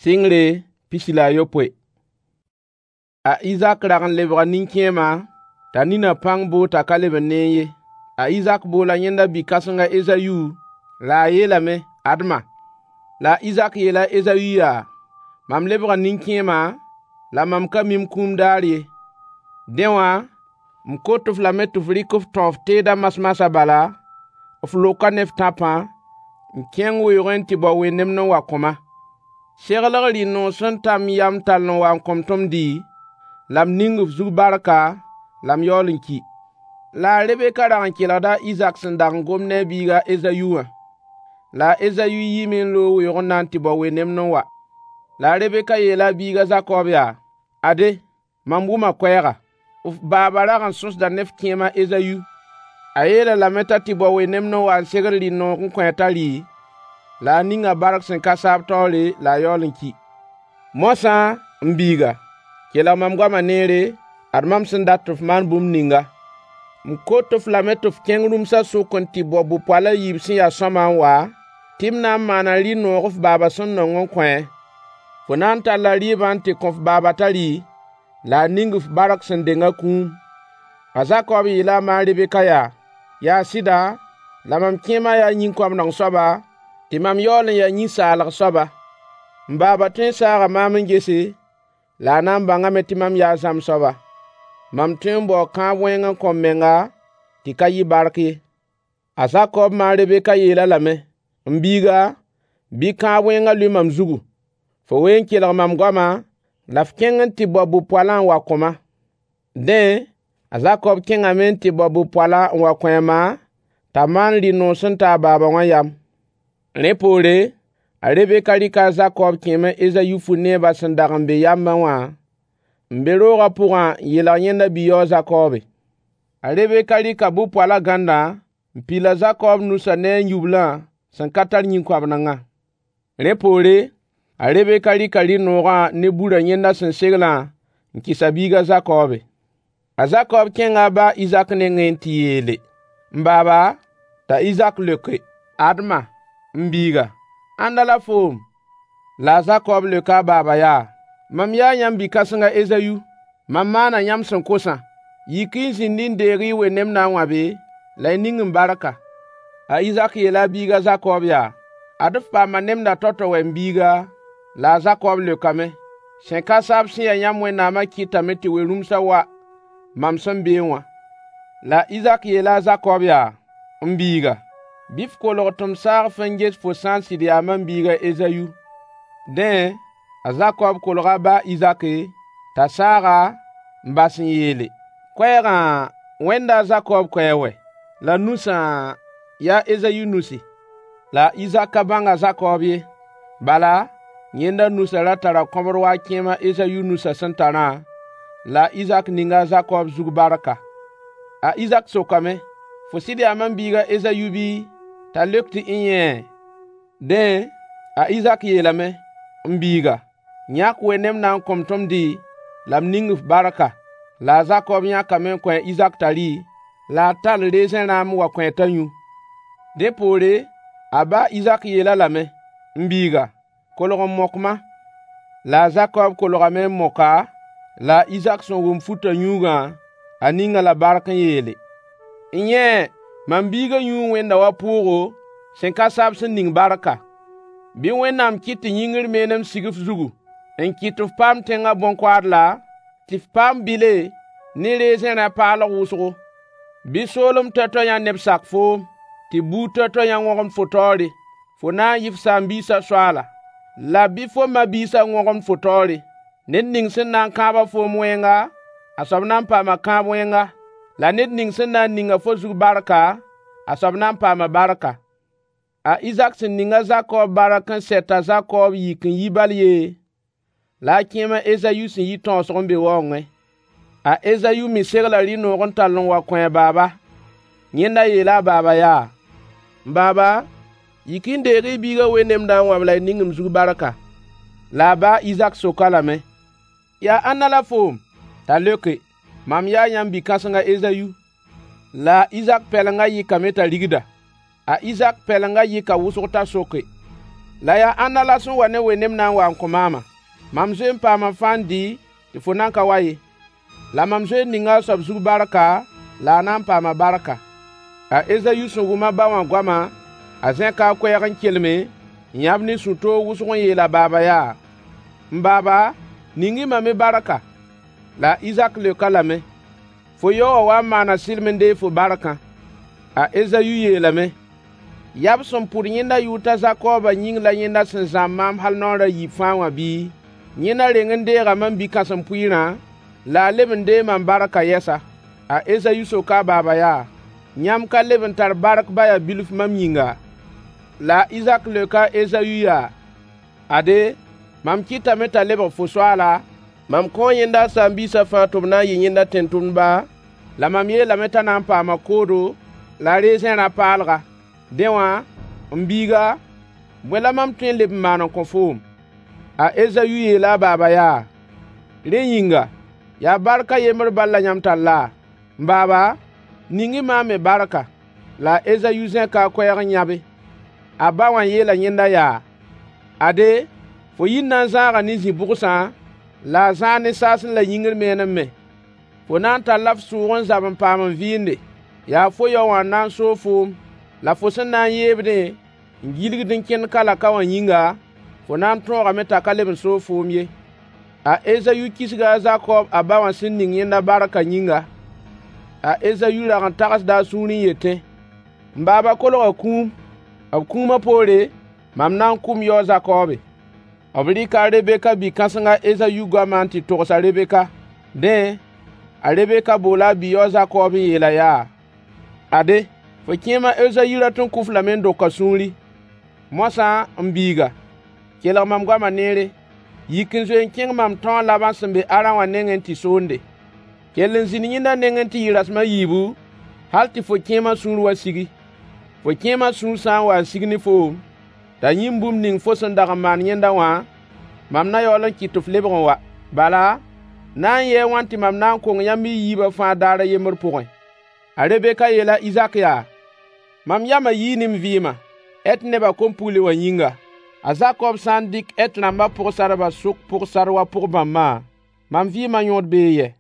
Sɩngre 17. A Izak rag n lebga nin-kẽema, t'a ninã pãng boog t'a ka leb n neẽ ye. A Izak boola yẽnda bi-kãseng a Ezayu, la a yeelame: Ad-ma! La a Izak yeela a Ezayu yaa: Mam lebga nin-kẽema, la mam ka mi m kũum daar ye. Dẽ wã, m kot-f lame tɩ f rɩk f tão f teedã masmasã bala, f loka ne f tãpã, n kẽng weoogẽ n tɩ bao wẽnemd n wa kõ-ma. Segl rɩ-noog sẽn ta m yam tall n wa n kõ-m tɩ m dɩ, la m ning f zug barka, la m yaool n ki. La a Rebeka rag n kelgda a Izak sẽn dag n gomd ne a biig a Ezayu wã. La a Ezayu yiime n loog weoog n na n tɩ bao wẽnemd n wa. La a Rebeka yeela a biig a Zakob yaa: Ade, mam wʋma koɛɛga. F baaba rag n sõsda ne f kẽem a Ezayu. A yeel-a lame t'a tɩ bao wẽnemd n wa n segl rɩ-noog n kõ-a t'a rɩ, la a ninga bark sẽn ka saab taoore la a yaool n ki. Moasã, m biiga, kelg mam goamã neere, ad mam sẽn dat tɩ f maan bũmb ninga. M kot-f lame tɩ f kẽng rũmsã sʋk n tɩ bao bʋ-poal a yiib sẽn ya sõama n wa, tɩ m na n maana rɩ-noog f baaba sẽn nong n kõ-a. Fo na n talla rɩɩbã n tɩ kõ f baaba t'a rɩ, la a ning f bark sẽn deng a kũum. A Zakob yeela a ma a Rebeka yaa: Yaa sɩda, la mam kẽemã yaa yĩn-koabneng soaba, tɩ mam yaool n ya yĩn-saalg soaba. M baaba tõe n saaga maam n gese, la a na n bãngame tɩ mam yaa zãmb soaba. Mam tõe n baoo kãab wẽng n kõ m menga tɩ ka yɩ bark ye. A Zakob ma a Rebeka yeel-a lame: M biiga, bɩ kãab wẽngã lʋɩ mam zugu. Fo wee n kelg mam goamã, la f kẽng n tɩ bao bʋ-poalã n wa kõ-ma. Dẽ, a Zakob kẽngame n tɩ bao bʋ-poala n wa kõ a ma, t'a maan rɩ-noog sẽn ta a baaba wã yam. Rẽ poore, a Rebeka rɩka a Zakob kẽem a Ezayu fu-neebã sẽn dag n be yambẽ wã, n be roogã pʋgã n yeelg yẽnda bi-yaoo a Zakobe. A Rebeka rɩka bʋ-poalã gãndã n pil a Zakob nusã ne a yublã sẽn ka tar yĩn-koabnengã. Rẽ poore, a Rebeka rɩka rɩ-noogã ne burã yẽnda sẽn seglã n kɩs a biig a Zakobe. A Zakob kẽnga a ba a Izak nengẽ n tɩ yeele: M baaba! T'a Izak leoke: Ad-ma, m biiga, ãnda la foom? La a Zakob leoka a baaba yaa: Mam yaa yãmb bi-kãseng a Ezayu. Mam maana yãmb sẽn kosã. Yik-y n zĩnd-y n deeg-y y wẽnemdã n wãbe, la y ning m barka. A Izak yeela a biig a Zakob yaa: Ad-f paama nemdã tao-tao wɛ, m biiga? La a Zakob leokame: Sẽn ka saab sẽn ya yãmb Wẽnnaamã kɩtame tɩ we-rũmsã wa mam sẽn beẽ wã. La a Izak yeela a Zakob yaa: M biiga, bɩ f kolg tɩ m saag-f n ges fo sã n sɩd yaa mam biig a Ezayu. Dẽ, a Zakob kolga a ba a Izaki, t'a saag-a, n bas n yeele: Koɛɛgã, wẽnda a Zakob koɛɛg wɛ! La nusã, yaa Ezayu nusi. La a Izak ka bãng a Zakob ye. Bala, yẽnda nusã ra tara kõbr wa a kẽem a Ezayu nusã sẽn tarã, la a Izak ninga a Zakob zug barka. A Izak sokame: Fo sɩd yaa mam biig a Ezayu bɩ? T'a leok tɩ n-yẽe. Dẽ, a Izak yeelame: M biiga, yãk wẽnemdã n kõ-m tɩ m dɩ, la m ning-f barka. La a Zakob yãkame n kõ a Izak t'a rɩ, la a tall rezẽ rãam n wa kõ-a t'a yũ. Dẽ poore, a ba a Izak yeel-a lame: M biiga, kolg n mok-ma. La a Zakob kolgame n mok-a, la a Izak sẽn wʋm futã yũugã, a ning-a la bark n yeele: N-yẽe, mam biigã yũu wẽnda wa pʋʋgo, sẽn ka saab sẽn ning barka. Bɩ Wẽnnaam kɩt tɩ yĩngr menem sig f zugu, n kɩt tɩ f paam tẽngã bõn-koaadla, tɩ f paam bile ne rezẽ rã-paalg wʋsgo. Bɩ soolem toay-toayã neb sak foom, tɩ buud toay-toayã wõgemd fo taoore. Fo na n yɩ f saam-biisã soaala, la bɩ fo ma-biisã wõgemd fo taoore. Ned ning sẽn na n kãab-a foom wẽnga, a soab na n paama kãab wẽnga. La ned ning sẽn na n ning-a fo zug barka, a soab na n paama barka. A Izak sẽn ning a Zakob bark n sɛ t'a Zakob yik n yi bal yee, la a kẽem a Ezayu sẽn yi tãoosg n be waoongẽ. A Ezayu me segla rɩ-noog n tall n wa kõ a baaba. Yẽnda yeela a baaba yaa: M baaba, yik-y n deeg-y y biigã wẽnemdã n wãb la y ning m zug barka. La a ba a Izak sok-a lame: Yaa ãnna la foom? T'a leoke: Mam yaa yãmb bi-kãseng a Ezayu. La a Izak pɛlengã yɩkame t'a rigda. A Izak pɛlengã yɩka wʋsg t'a soke: La yaa ãnna la sẽn wa ne wẽnem na n wa n kõ maamã? Mam zoe n paama fãa n dɩ tɩ fo nan ka wa ye. La mam zoe n ninga a soab zug barka, la a na n paama barka. A Ezayu sẽn wʋm a ba wã goamã, a zẽka a koɛɛg n kelme, n yãb ne sũ-toog wʋsg n yeel a baaba yaa: M baaba, ning-y mam me barka. La a Izak leok-a lame: Fo yao wã wa n maana sɩlem n deeg fo barkã. A Ezayu yeelame: Yaa b sẽn pʋd yẽnda yʋʋr t'a Zakooba yĩng la yẽnda sẽn zãmb maam hal naoor a yiib fãa wã bɩ? Yẽnda reng n deega mam bi-kãsem-pʋɩɩrã, la a leb n deeg mam barkã yɛsa. A Ezayu soka a baaba yaa: Yãmb ka leb n tar bark ba yaa bilf mam yĩnga? La a Izak leoka a Ezayu yaa: Ade, mam kɩtame t'a lebg fo soaala, mam kõo yẽnda a saam-biisã fãa tɩ b na n yɩ yẽnda tẽn-tʋmdba, la mam yeelame t'a na n paama koodo la rezẽ rã-paalga. Dẽ wã, m biiga, bõe la mam tõe n leb n maan n kõ foom? A Ezayu yeela a baaba yaa: Rẽ yĩnga, yaa bark a yembr bal la yãmb tar laa? M baaba, ning-y maam me barka. La a Ezayu zẽka a koɛɛg n yãbe. A ba wã yeela yẽnda yaa: Ade, fo yir na n zãaga ne zĩ-bʋgsã, la a zãag ne saasẽ la yĩngr meenem me. Fo na n talla f sʋʋg n zab n paam n vɩɩnde. Yaa fo yao wã n na n soog foom, la fo sẽn na n yeebdẽ n gilgd n kẽnd ka-la-ka wã yĩnga, fo na n tõogame t'a ka leb n soog foom ye. A Ezayu kisga a Zakob a ba wã sẽn ning yẽnda barkã yĩnga. A Ezayu rag n tagsda a sũurẽ yetẽ: M baaba kolga kũum, b kũumã poore, mam na n kʋ m yao a Zakoobe. B rɩka a Rebeka bi-kãseng a Ezayu goamã n tɩ togs a Rebeka. Dẽ, a Rebeka boola a bi-yao a Zakob n yeel-a yaa: Ade, fo kẽem a Ezayu rat n kʋ-f lame n dok a sũuri. Moasã, m biiga, kelg mam goamã neere. Yik n zoe n kẽng mam tão a Laban sẽn be Arã wã nengẽ n tɩ soonde. Kell n zĩnd yẽnda nengẽ tɩ yɩ rasem a yiibu, hal tɩ fo kẽemã sũur wa sigi. Fo kẽemã sũur sã n wa n sig ne foom, t'a yĩm bũmb ning fo sẽn dag n maan yẽnda wã, mam na yaool n kɩt tɩ f lebg n wa. Bala, na n yɩɩ a wãn tɩ mam na n kong yãmb y yiibã fãa daar a yembr pʋgẽ? A Rebeka yeela a Izak yaa: Mam yamã yii ne m vɩɩmã, Het nebã kom-pugl wã yĩnga. A Zakob sã n dɩk Het rãmbã pʋg-sardbã sʋk pʋg-sard wa pʋg-bãmbã, mam vɩɩmã yõod bee yɛ?